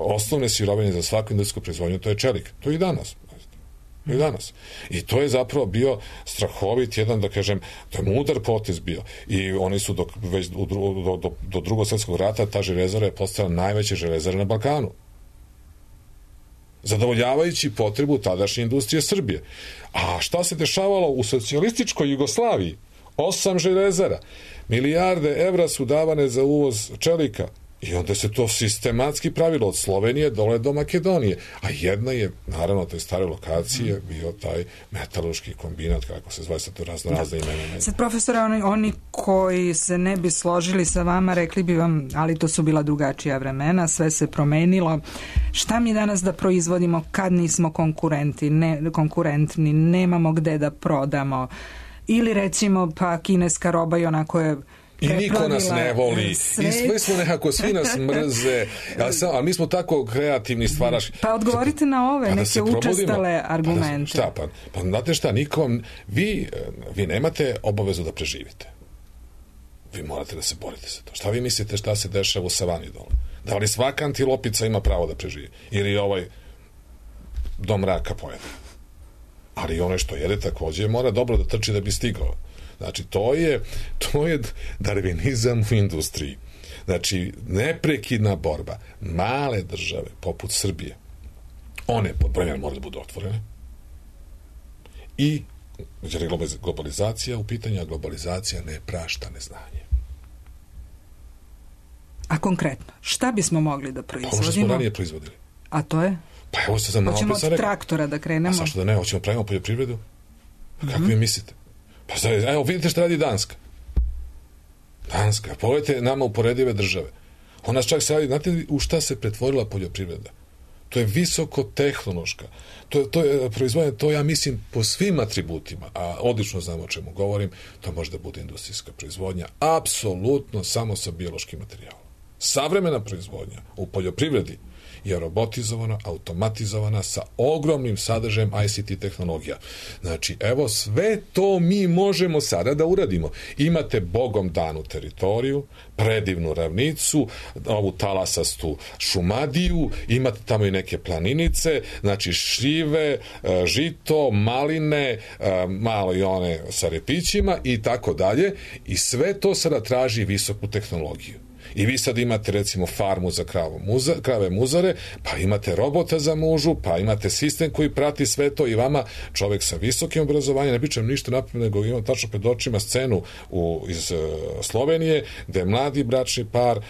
osnovne sirovine za svaku industrijsku proizvodnju, to je čelik. To je i danas. I to je zapravo bio strahovit jedan, da kažem, to je mudar potez bio. I oni su već do Drugog svjetskog rata ta železara je postala najveća železara na Balkanu. Zadovoljavajući potrebu tadašnje industrije Srbije. A šta se dešavalo u socijalističkoj Jugoslaviji? 8 železara. Milijarde evra su davane za uvoz čelika. I onda se to sistematski pravilo od Slovenije dole do Makedonije. A jedna je, naravno, te stare lokacije bio taj metalurški kombinat, kako se zove, sad to razne imena. Sad, profesore, oni koji se ne bi složili sa vama, rekli bi vam, ali to su bila drugačija vremena, sve se promenilo. Šta mi danas da proizvodimo kad nismo konkurentni, nemamo gde da prodamo? Ili recimo, pa kineska roba i onako je i niko nas ne voli, svet. I sve smo nekako, svi nas mrze, ali mi smo tako kreativni stvaraš. Pa odgovorite na ove neke učestale argumente. Pa znate šta, vi nemate obavezu da preživite. Vi morate da se borite za to. Šta vi mislite šta se dešava u savani dole? Da li svaka antilopica ima pravo da preživi? Ili ovaj do mraka pojede? Ali ono što jede takođe mora dobro da trči da bi stigao. Znači, to je darvinizam u industriji. Znači, neprekidna borba. Male države, poput Srbije, one pod broj moraju da budu otvorene. I jer je globalizacija u pitanju, a globalizacija ne prašta neznanje. A konkretno, šta bismo mogli da proizvodimo? Ovo što smo ranije proizvodili. A to je? Pa evo se za malo hoćemo od traktora da krenemo? A zašto da ne? Hoćemo pravimo poljoprivredu? Kako vi mislite? Pa evo, vidite šta radi Danska. Pogledajte nama uporedive države. Ona čak se radi, znate u šta se pretvorila poljoprivreda? To je visokotehnološka. To je proizvodnje, to ja mislim po svim atributima, a odlično znam o čemu govorim, to može da bude industrijska proizvodnja, apsolutno samo sa biološkim materijalom. Savremena proizvodnja u poljoprivredi je robotizovana, automatizovana sa ogromnim sadržajem ICT tehnologija. Znači, evo, sve to mi možemo sada da uradimo. Imate bogom danu teritoriju, predivnu ravnicu, ovu talasastu Šumadiju, imate tamo i neke planinice, znači šljive, žito, maline, malo i one sa repićima i tako dalje. I sve to sada traži visoku tehnologiju. I vi sad imate recimo farmu za krave muzare, pa imate robota za mužu, pa imate sistem koji prati sve to i vama čovek sa visokim obrazovanjem, ne pričam ništa napred, nego imam tačno pred očima scenu iz Slovenije, gde mladi bračni par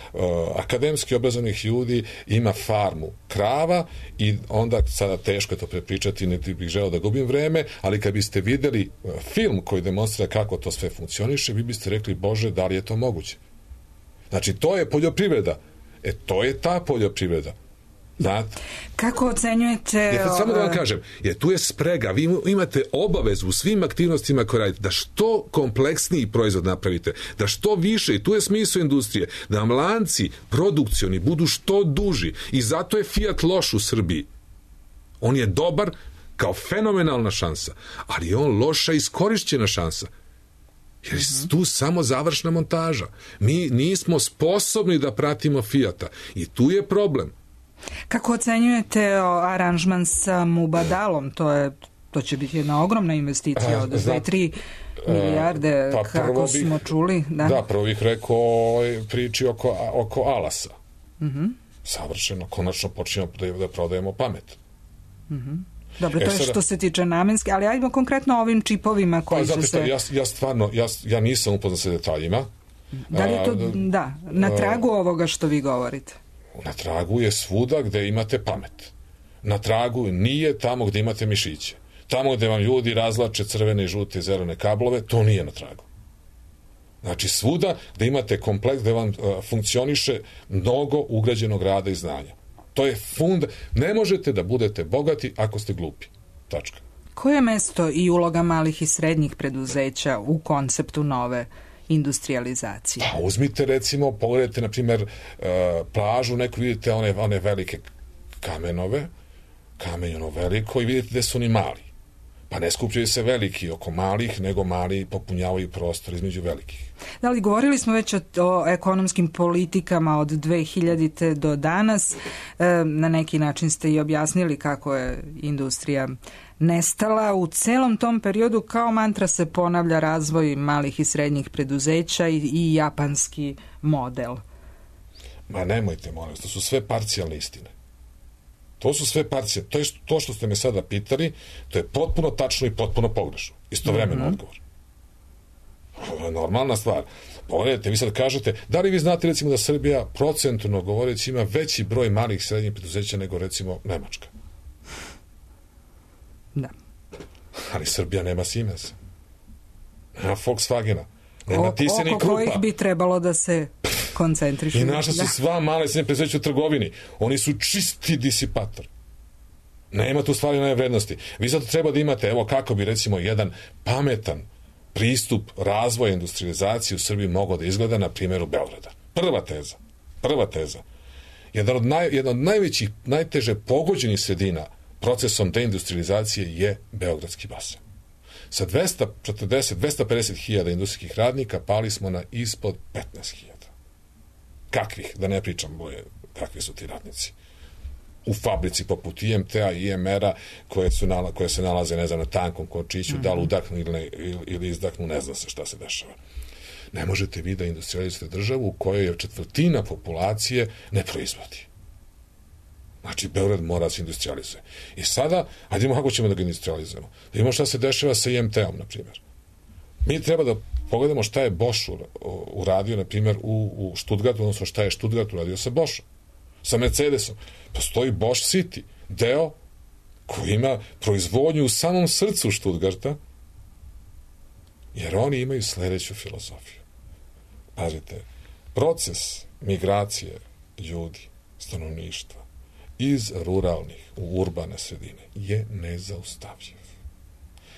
akademski obrazovanih ljudi ima farmu krava i onda sada teško je to prepričati, niti bih želeo da gubim vreme, ali kad biste videli film koji demonstrira kako to sve funkcioniše, vi biste rekli, Bože, da li je to moguće? Znači, to je poljoprivreda. To je ta poljoprivreda. Znate? Kako ocenjujete... Samo da vam kažem, tu je sprega. Vi imate obavezu u svim aktivnostima koje radite da što kompleksniji proizvod napravite, da što više, i tu je smisao industrije, da vam lanci produkcioni budu što duži. I zato je Fiat loš u Srbiji. On je dobar kao fenomenalna šansa, ali je on loša iskorišćena šansa. Jer je tu samo završna montaža. Mi nismo sposobni da pratimo Fijata. I tu je problem. Kako ocenjujete aranžman sa Mubadalom? To će biti jedna ogromna investicija od 2-3 milijarde, kako smo čuli. Da, prvo bih rekao priči oko Alasa. Savršeno, konačno počinjemo da prodajemo pamet. Dobro, to je što se tiče namenske, ali ajmo konkretno o ovim čipovima koji će se... Ja stvarno, ja nisam upoznat sa detaljima. Da li je to, na tragu ovoga što vi govorite? Na tragu je svuda gde imate pamet. Na tragu nije tamo gde imate mišiće. Tamo gde vam ljudi razlače crvene, žute i zelene kablove, to nije na tragu. Znači, svuda gde imate kompleks, gde vam funkcioniše mnogo ugrađenog rada i znanja. To je ne možete da budete bogati ako ste glupi. Tačka. Koje je mesto i uloga malih i srednjih preduzeća u konceptu nove industrializacije? Pa uzmite recimo, pogledajte na primjer plažu, neko vidite one velike kamenove, kamenjeno veliko i vidite gde su oni mali. Pa ne skupljaju se veliki oko malih, nego mali popunjavaju prostor između velikih. Da li govorili smo već o ekonomskim politikama od 2000. do danas. Na neki način ste i objasnili kako je industrija nestala. U celom tom periodu kao mantra se ponavlja razvoj malih i srednjih preduzeća i japanski model. Ma nemojte, molim, to su sve parcijalne istine. To su sve parcije. To što ste me sada pitali, to je potpuno tačno i potpuno pogrešno. Istovremeno odgovor. To je normalna stvar. Pogledajte, vi sad kažete, da li vi znate recimo da Srbija procentualno govoreći ima veći broj malih i srednjih preduzeća nego recimo Nemačka? Da. Ali Srbija nema Siemensa, nema Volkswagena, nema Thyssen i Krupa. Oko kojih bi trebalo da se koncentrišu. I naša su sva male i srednje preduzeća u trgovini. Oni su čisti disipator. Nema tu stvari nove vrednosti. Vi zato treba da imate, evo kako bi recimo jedan pametan pristup razvoja industrializacije u Srbiji mogao da izgleda na primjeru Beograda. Prva teza. Jedan od najvećih, najteže pogođenih sredina procesom deindustrializacije je Beogradski basen. Sa 250 hiljada industrijskih radnika pali smo na ispod 15 hiljada. Kakvih? Da ne pričam boje, kakvi su ti radnici. U fabrici poput IMT-a i IMR-a koje se nalaze, ne znam, na tankom končiću, da li udahnu ili izdahnu, ne zna se šta se dešava. Ne možete vi da industrializujete državu u kojoj je četvrtina populacije ne proizvodi. Znači, Beograd mora da se industrializuje. I sada, hajdemo kako ćemo da ga industrializujemo. Da imamo šta se dešava sa IMT-om, na primjer. Mi treba da pogledamo šta je Bosch uradio, na primjer, u Stuttgartu, odnosno šta je Stuttgart uradio sa Boschom, sa Mercedesom. Postoji Bosch City, deo koji ima proizvodnju u samom srcu Stuttgarta, jer oni imaju sledeću filozofiju. Pazite, proces migracije ljudi, stanovništva, iz ruralnih u urbane sredine je nezaustavljiv.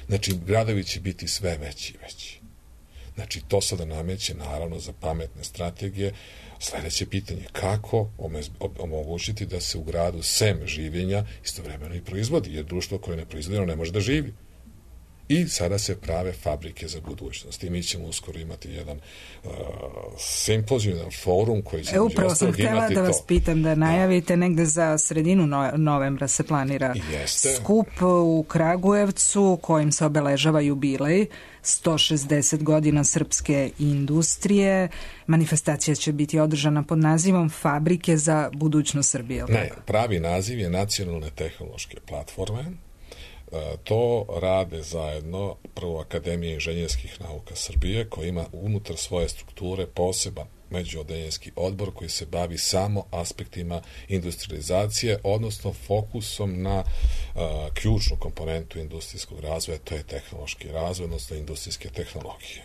Znači, gradovi će biti sve veći i veći. Znači, to sada nameće, naravno, za pametne strategije. Sledeće pitanje, kako omogućiti da se u gradu sem življenja istovremeno i proizvodi, jer društvo koje ne proizvodi, ne može da živi. I sada se prave fabrike za budućnost. I mi ćemo uskoro imati jedan simpozijum, jedan forum koji će upravo sam htjela da vas pitam da najavite negde za sredinu novembra se planira skup u Kragujevcu kojim se obeležava jubilej 160 godina srpske industrije. Manifestacija će biti održana pod nazivom Fabrike za budućnost Srbije. Ne, pravi naziv je Nacionalne tehnološke platforme. To rade zajedno prvo Akademija inženjerskih nauka Srbije, koja ima unutar svoje strukture poseban međuodeljenski odbor koji se bavi samo aspektima industrializacije, odnosno fokusom na ključnu komponentu industrijskog razvoja, to je tehnološki razvoj, odnosno industrijske tehnologije.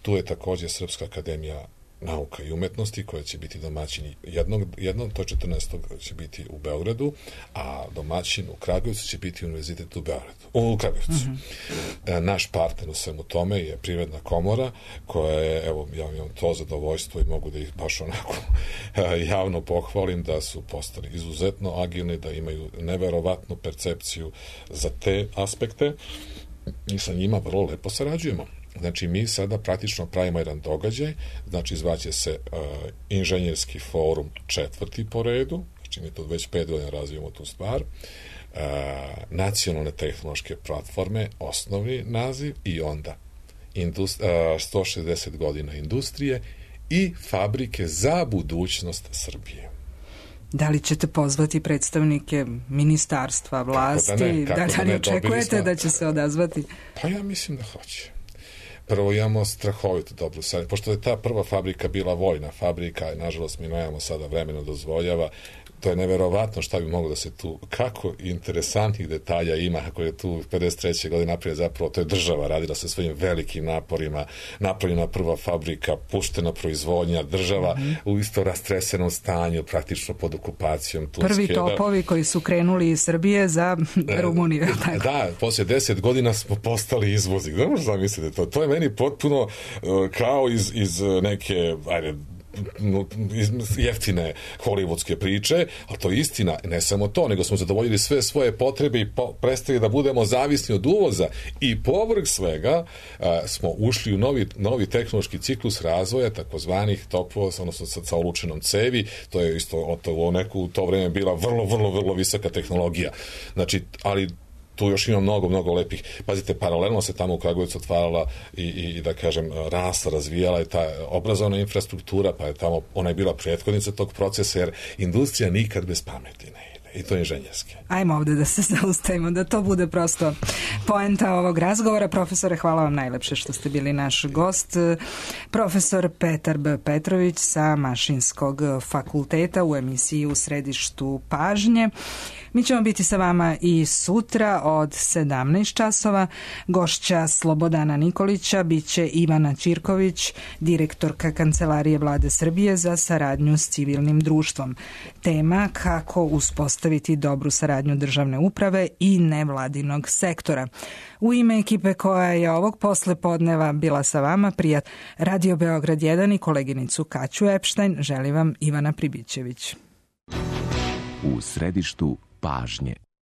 Tu je također Srpska akademija nauka i umetnosti koja će biti domaćin jednom, to 14. će biti u Beogradu, a domaćin u Kragujevcu će biti univerzitet u Kragujevcu. Naš partner u svemu tome je Privredna komora koja je, evo, ja imam to zadovoljstvo i mogu da ih baš onako javno pohvalim da su postali izuzetno agilni, da imaju neverovatnu percepciju za te aspekte i sa njima vrlo lepo sarađujemo. Znači, mi sada praktično pravimo jedan događaj, znači zvaće se inženjerski forum 4. po redu, znači mi to već 5 godina razvijemo tu stvar, nacionalne tehnološke platforme, osnovni naziv i onda 160 godina industrije i fabrike za budućnost Srbije. Da li ćete pozvati predstavnike ministarstva, vlasti? Da li očekujete da će se odazvati? Pa ja mislim da hoće. Prvo imamo strahovito dobru saradnju, pošto je ta prva fabrika bila vojna fabrika i nažalost mi nemamo sada vremena dozvoljava, to je neverovatno šta bi moglo da se tu, kako interesantnih detalja ima, kako je tu 53. godine naprijed zapravo, to je država radila sa svojim velikim naporima, napravljena prva fabrika, puštena proizvodnja, država u isto rastresenom stanju, praktično pod okupacijom Turske. Prvi topovi koji su krenuli iz Srbije za Rumuniju. Da, poslije 10 godina smo postali izvoznik. Ne možete zamisliti to. To je meni potpuno kao iz neke, jeftine hollywoodske priče, ali to je istina, ne samo to, nego smo zadovoljili sve svoje potrebe i prestali da budemo zavisni od uvoza i povrh svega smo ušli u novi tehnološki ciklus razvoja takozvanih topova, odnosno sa olučenom cevi, to je isto u to vreme bila vrlo visoka tehnologija. Znači, ali tu još ima mnogo lepih. Pazite, paralelno se tamo u Kragujevcu otvarala i da kažem, rasla, razvijala je ta obrazovna infrastruktura, pa je tamo, ona je bila prethodnica tog procesa, jer industrija nikad bez pameti ne ide. i to inženjerske. Ajmo ovde da se zaustavimo, da to bude prosto poenta ovog razgovora. Profesore, hvala vam najlepše što ste bili naš gost. Profesor Petar B. Petrović sa Mašinskog fakulteta u emisiji U središtu pažnje. Mi ćemo biti sa vama i sutra od 17 časova. Gošća Slobodana Nikolića biće Ivana Ćirković, direktorka Kancelarije Vlade Srbije za saradnju s civilnim društvom. Tema kako uspostaviti dobru saradnju državne uprave i nevladinog sektora. U ime ekipe koja je ovog poslepodneva bila sa vama, prijat Radio Beograd 1 i koleginicu Kaću Epštajn, želi vam Ivana Pribićević. U središtu pažnje.